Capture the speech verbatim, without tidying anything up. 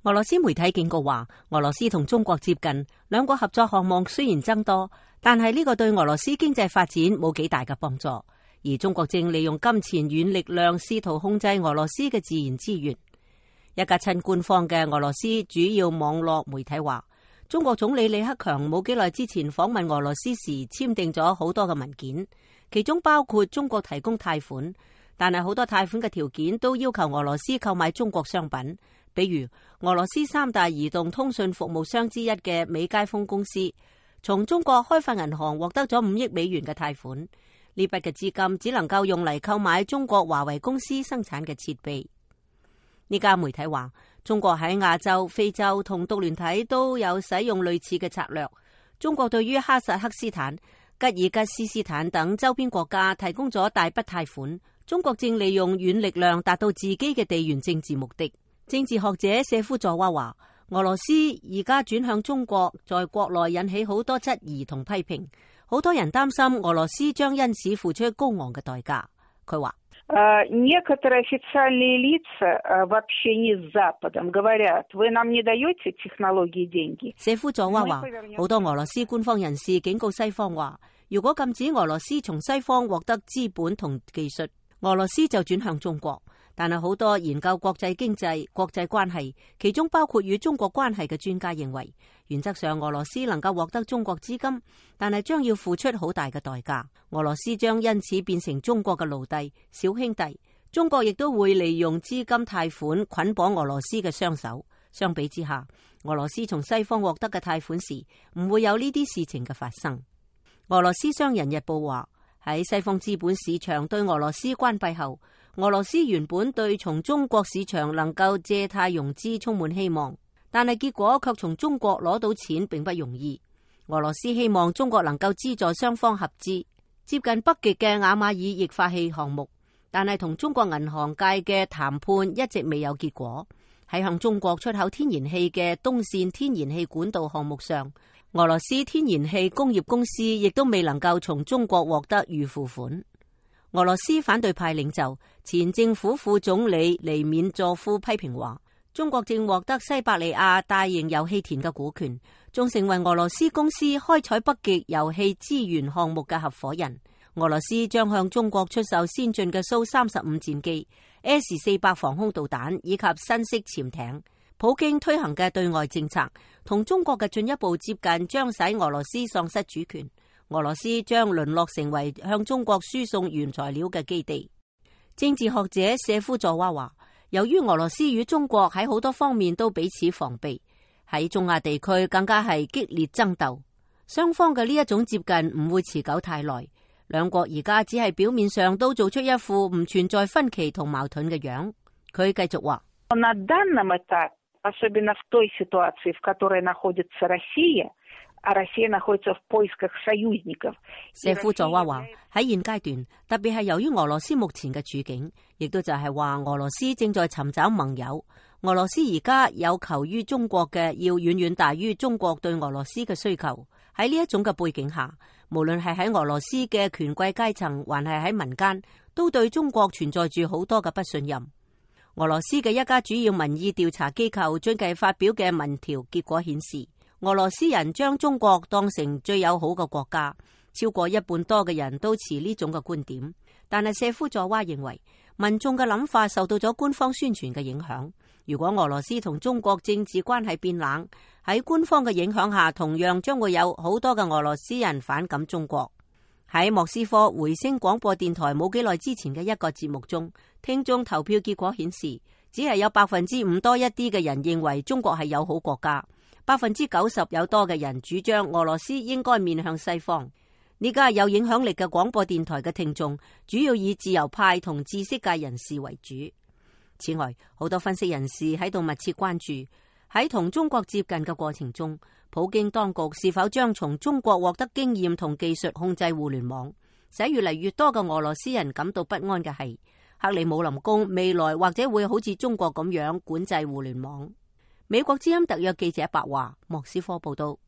俄羅斯媒體警告話，俄羅斯同中國接近，兩國合作項目雖然增多，但係呢個對俄羅斯經濟發展冇幾大嘅幫助。而中國正利用金錢軟力量試圖控制俄羅斯嘅自然資源。一家親官方嘅俄羅斯主要網絡媒體話，中國總理李克強冇幾耐之前訪問俄羅斯時簽訂咗好多嘅文件，其中包括中國提供貸款，但係好多貸款嘅條件都要求俄羅斯購買中國商品。比如俄羅斯三大移動通訊服務商之一嘅美佳風公司，從中國開發銀行獲得咗五億美元嘅貸款，呢筆嘅資金只能夠用嚟購買中國華為公司生產嘅設備。呢家媒體話，中國喺亞洲、非洲同獨聯體都有使用類似嘅策略。中國對於哈薩克斯坦、吉爾吉斯斯坦等周邊國家提供咗大筆貸款。中國正利用軟力量達到自己嘅地緣政治目的。政治學者謝夫佐娃話，俄羅斯而家轉向中國，在國內引起好多質疑同批評，好多人擔心俄羅斯將因此付出高昂嘅代價。佢話，некоторые официальные лица в общении с Западом говорят, вы нам не даете технологии и деньги。謝夫佐娃話，好多俄羅斯官方人士警告西方話，如果禁止俄羅斯從西方獲得資本同技術，俄羅斯就轉向中國。但係好多研究國際經濟、國際關係，其中包括與中國關係嘅專家認為，原則上俄羅斯能夠獲得中國資金，但係將要付出好大嘅代價。俄羅斯將因此變成中國嘅奴隸、小兄弟。中國亦都會利用資金貸款捆綁俄羅斯嘅雙手。相比之下，俄羅斯從西方獲得嘅貸款時，唔會有呢啲事情嘅發生。俄羅斯商人日報話，喺西方資本市場對俄羅斯關閉後，俄羅斯原本對從中國市場能夠借貸融資充滿希望，但係結果卻從中國攞到錢並不容易。俄羅斯希望中國能夠資助雙方合資接近北極嘅雅馬爾液化氣項目，但係同中國銀行界嘅談判一直未有結果。喺向中國出口天然氣嘅東線天然氣管道項目上，俄羅斯天然氣工業公司亦都未能夠從中國獲得預付款。俄羅斯反對派領袖前政府副總理尼緬佐夫批評話，中國正獲得西伯利亞大型油氣田嘅股權，仲成為俄羅斯公司開採北極油氣資源項目嘅合夥人。俄羅斯將向中國出售先進嘅蘇三十五戰機、S 四百防空導彈以及新式潛艇。普京推行嘅對外政策同中國嘅進一步接近，將使俄羅斯喪失主權。俄羅斯將淪落成為向中國輸送原材料嘅基地。政治學者謝夫佐娃話，由於俄羅斯與中國喺好多方面都彼此防備，喺中亞地區更加係激烈爭鬥，雙方嘅呢一種接近唔會持久太耐。兩國而家只係表面上都做出一副唔存在分歧同矛盾嘅樣。佢繼續話，особенно в той ситуации, в которой находится Россия, а Россия находится в поисках союзников。謝夫佐娃話，喺現階段，特別係由於俄羅斯目前嘅處境，亦都就係話俄羅斯正在尋找盟友。俄羅斯而家有求於中國嘅，要遠遠大於中國對俄羅斯嘅需求。喺呢一種嘅背景下，無論係喺俄羅斯嘅權貴階層，還係喺民間，都對中國存在住好多嘅不信任。俄羅斯嘅一家主要民意調查機構最近發表嘅民調結果顯示，俄羅斯人將中國當成最友好嘅國家，超過一半多嘅人都持呢種嘅觀點。但係謝夫佐娃認為，民眾嘅諗法受到咗官方宣傳嘅影響。如果俄羅斯同中國政治關係變冷，喺官方嘅影響下，同樣將會有好多嘅俄羅斯人反感中國。喺莫斯科回聲廣播電台冇幾耐之前嘅一個節目中，聽眾投票結果顯示，只係有百分之五多一啲嘅人認為中國係友好國家，百分之九十有多嘅人主張俄羅斯應該面向西方。呢家有影響力嘅廣播電台嘅聽眾主要以自由派同知識界人士為主。此外，好多分析人士喺度密切關注喺同中國接近嘅過程中，普京當局是否將從中國獲得經驗同技術控制互聯網。使越嚟越多嘅俄羅斯人感到不安嘅係，克里姆林宮未來或者會好似中國咁樣管制互聯網。美國之音特約記者白華，莫斯科報道。